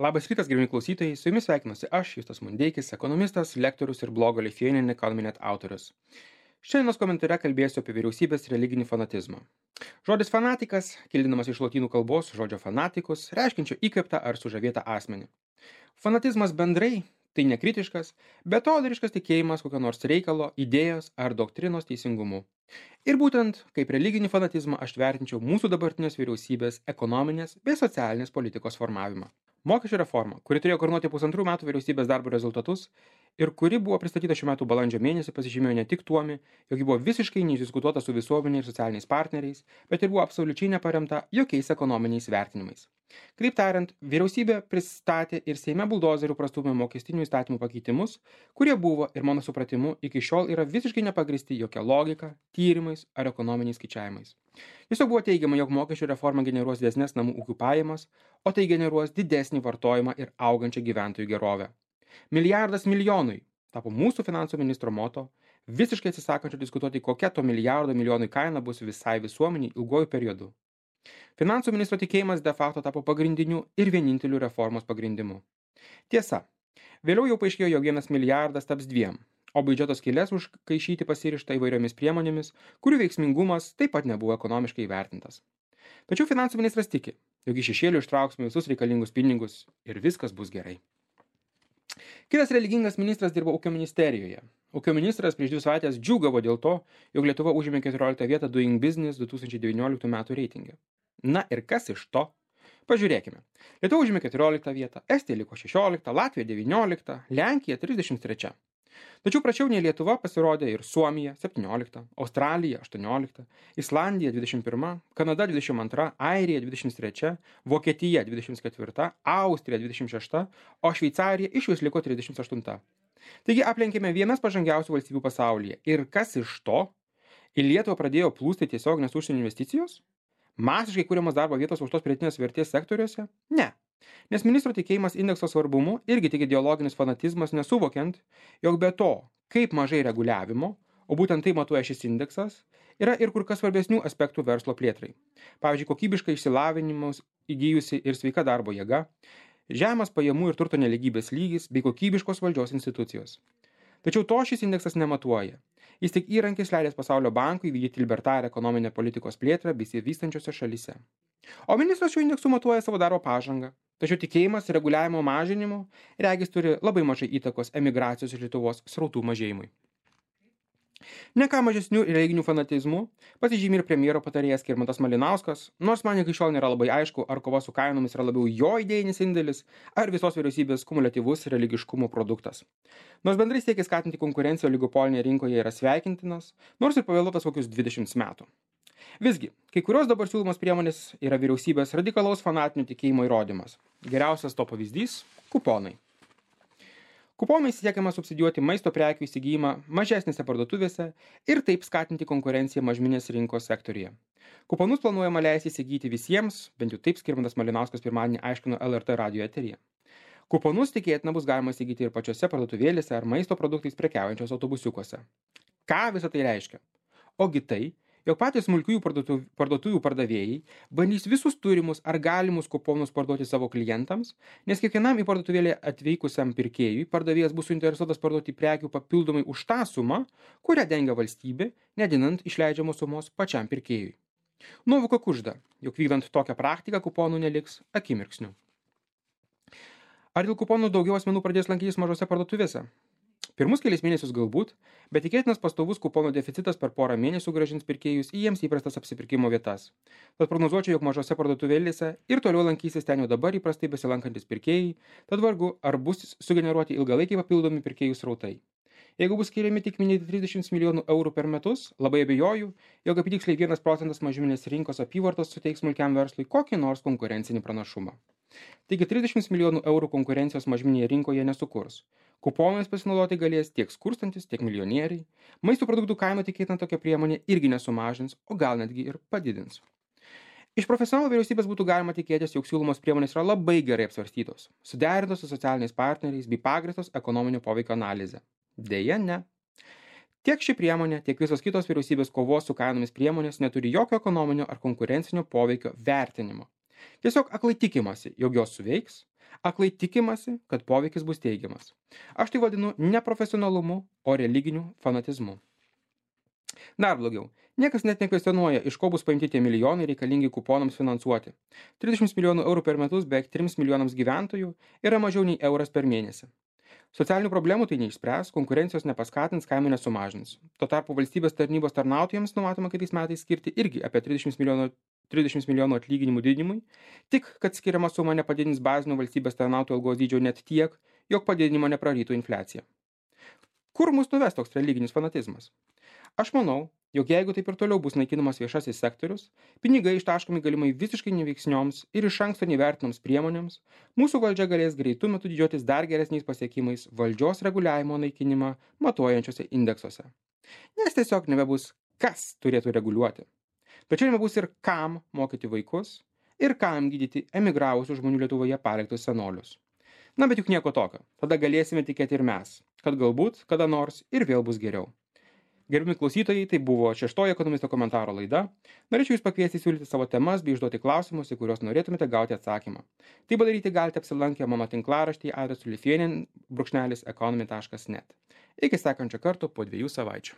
Labas rytas, gerbimi klausytojai, su jumis sveikinuosi aš, Justas Mundeikis, ekonomistas, lektorius ir blogo Lithuanian Economy Net autorius. Šiandienos komentare kalbėsiu apie vyriausybės religinį fanatizmą. Žodis fanatikas, kildinamas iš lotynų kalbos žodžio fanatikus, reiškiančio įkvėptą ar sužavėtą asmenį. Fanatizmas bendrai tai nekritiškas, betodariškas tikėjimas kokio nors reikalo, idėjos ar doktrinos teisingumu. Ir būtent kaip religinį fanatizmą aš vertinčiau mūsų dabartinės vyriausybės ekonominės bei socialinės politikos formavimą. Mokesčių reforma, kuri turėjo koordinuoti 1,5 metų vyriausybės darbo rezultatus ir kuri buvo pristatyta šių metų balandžio mėnesį, pasižymėjo ne tik tuomi, jog ji buvo visiškai neišdiskutuota su visuomenė ir socialiniais partneriais, bet ir buvo absoliučiai neparemta jokiais ekonominiais vertinimais. Kitaip tariant, vyriausybė pristatė ir Seime buldozerių prastūmė mokestinių įstatymų pakeitimus, kurie buvo ir mano supratimu iki šiol yra visiškai nepagristi jokia logika, tyrimais ar ekonominiais skaičiavimais. Tiesiog buvo teigiama, jog mokesčių reforma generuos didesnes namų ūkių pajamas, o tai generuos didesnį vartojimą ir augančią gyventojų gerovę. Milijardas milijonui tapo mūsų finansų ministro moto, visiškai atsisakančio diskutuoti, kokia to milijardo milijonui kaina bus visai visuomeniai ilguoju periodu. Finansų ministro tikėjimas de facto tapo pagrindiniu ir vieninteliu reformos pagrindimu. Tiesa, vėliau jau paaiškėjo, jog 1 milijardas taps 2, o biudžeto skylės užkaišyti pasirišta įvairiomis priemonėmis, kurių veiksmingumas taip pat nebuvo ekonomiškai įvertintas. Tačiau finansų ministras tiki, jog iš šešėlių ištrauksime visus reikalingus pinigus ir viskas bus gerai. Kitas religingas ministras dirbo ūkio ministerijoje. Ūkio ministras prieš 2 savaitės džiūgavo dėl to, jog Lietuva užėmė 14 vietą Doing Business 2019 metų reitinge. Na ir kas iš to? Pažiūrėkime. Lietuva užėmė 14 vietą, Estija liko 16, Latvija 19, Lenkija 33. Tačiau prašiau nei Lietuva pasirodė ir Suomija 17, Australija 18, Islandija 21, Kanada 22, Airija 23, Vokietija 24, Austrija 26, o Šveicarija išvis liko 38. Taigi aplenkėme vienas pažangiausių valstybių pasaulyje. Ir kas iš to? Į Lietuvą pradėjo plūsti tiesioginės užsienio investicijos? Masiškai kuriamas darbo vietos aukštos pridėtinės vertės sektoriuose? Ne. Nes ministro tikėjimas indekso svarbumu irgi tik ideologinis fanatizmas, nesuvokiant, jog be to, kaip mažai reguliavimo, o būtent tai matuoja šis indeksas, yra ir kur kas svarbesnių aspektų verslo plėtrai. Pavyzdžiui, kokybiškai išsilavinimus įgyjusi ir sveika darbo jėga, žemas pajamų ir turto nelygybės lygis bei kokybiškos valdžios institucijos. Tačiau to šis indeksas nematuoja. Jis tik įrankis leidęs Pasaulio bankui vykdyti libertarią ekonominę politikos plėtrą besivystančiose šalyse. O ministras šiuo indeksu matuoja savo darbo pažangą. Tačiau tikėjimas reguliavimo mažinimu regis turi labai mažai įtakos emigracijos iš Lietuvos srautų mažėjimui. Ne ką mažesnių religinių fanatizmų pasižymi ir premjero patarėjas Skirmantas Malinauskas, nors man iki šiol nėra labai aišku, ar kova su kainomis yra labiau jo idėjinis indėlis, ar visos vyriausybės kumuliatyvus religiškumo produktas. Nors bendrai siekis skatinti konkurenciją oligopolinėje rinkoje yra sveikintinas, nors ir pavėluotas kokius 20 metų. Visgi, kai kurios dabar siūlomos priemonės yra vyriausybės radikalaus fanatinio tikėjimo įrodymas. Geriausias to pavyzdys – kuponai. Kuponais siekiama subsidijuoti maisto prekių įsigijimą mažesnėse parduotuvėse ir taip skatinti konkurenciją mažmeninės rinkos sektoriuje. Kuponus planuojama leisti įsigyti visiems, bent jau taip Skirmantas Malinauskas pirmadienį aiškino LRT radijo eteryje. Kuponus tikėtina bus galima įsigyti ir pačiose parduotuvėlėse ar maisto produktais prekiaujančios autobusiukuose. Ką visą tai reiškia? Ogi tai, jog patys smulkiųjų parduotuvių pardavėjai bandys visus turimus ar galimus kuponus parduoti savo klientams, nes kiekvienam į parduotuvėlę atvykusiam pirkėjui pardavėjas bus suinteresuotas parduoti prekių papildomai už tą sumą, kurią dengia valstybė, nedinant išleidžiamos sumos pačiam pirkėjui. Nuovoka kužda, jog vykdant tokią praktiką kuponų neliks akimirksniu. Ar dėl kuponų daugiau asmenų pradės lankytis mažose parduotuvėse? Pirmus kelias mėnesius galbūt, bet tikėtinas pastovus kuponų deficitas per porą mėnesių grąžins pirkėjus į jiems įprastas apsipirkimo vietas. Tad prognozuočiau, jog mažose parduotuvėlėse ir toliau lankysis ten jau dabar įprastai besilankantis pirkėjai, tad vargu ar bus sugeneruoti ilgalaikiai papildomi pirkėjų srautai. Jeigu bus skiriami tik minėti 30 milijonų eurų per metus, labai abejoju, jog apytiksliai 1 procentas mažmeninės rinkos apyvartos suteiks smulkiam verslui kokį nors konkurencinį pranašumą. Taigi 30 milijonų eurų konkurencijos mažmeninėje rinkoje nesukurs. Kuponais pasinaudoti galės tiek skurstantis, tiek milijonieriai. Maisto produktų kaina tikėtina tokia priemonė irgi nesumažins, o gal netgi ir padidins. Iš profesionalų vyriausybės būtų galima tikėtis, jog siūlomos priemonės yra labai gerai apsvarstytos, suderintos su socialiniais partneriais bei pagrįstos ekonominio poveikio analize. Deja, ne. Tiek ši priemonė, tiek visos kitos vyriausybės kovos su kainomis priemonės neturi jokio ekonominio ar konkurencinio poveikio vertinimo. Tiesiog aklai tikimasi, jog jos suveiks, Aklai tikimasi, kad poveikis bus teigiamas. Aš tai vadinu ne profesionalumu, o religiniu fanatizmu. Dar blogiau. Niekas net nekvestionuoja, iš ko bus paimti tie milijonai reikalingi kuponams finansuoti. 30 milijonų eurų per metus beveik 3 milijonams gyventojų yra mažiau nei euras per mėnesį. Socialinių problemų tai neišspręs, konkurencijos nepaskatins, kainų nesumažins. Tuo tarpu valstybės tarnybos tarnautojams numatoma kitais metais skirti irgi apie 30 milijonų atlyginimų didinimui, tik kad skiriama suma nepadidins bazinio valstybės tarnautojų algos dydžio net tiek, jog padidinimo neprarytų infliacija. Kur mus nuves toks religinis fanatizmas? Aš manau, jog jeigu taip ir toliau bus naikinamas viešasis sektorius, pinigai ištaškomi galimai visiškai neveiksnioms ir iš anksto nevertinoms priemonėms, mūsų valdžia galės greitų metų didžiuotis dar geresniais pasiekimais valdžios reguliavimo naikinimą matuojančiose indeksuose. Nes tiesiog nebebus kas turėtų reguliuoti. Tačiau nebebus ir kam mokyti vaikus ir kam gydyti emigravusių žmonių Lietuvoje paliktus senolius. Na, bet juk nieko tokio. Tada galėsime tikėti ir mes, kad galbūt kada nors ir vėl bus geriau. Gerbimi klausytojai, tai buvo 6 ekonomisto komentaro laida. Norėčiau Jūs pakviesti siūlyti savo temas bei užduoti klausimus, į kuriuos norėtumėte gauti atsakymą. Tai padaryti galite apsilankę mano tinklaraštyje adresu lithuanian-economy.net. Iki sekančio karto po 2 savaičių.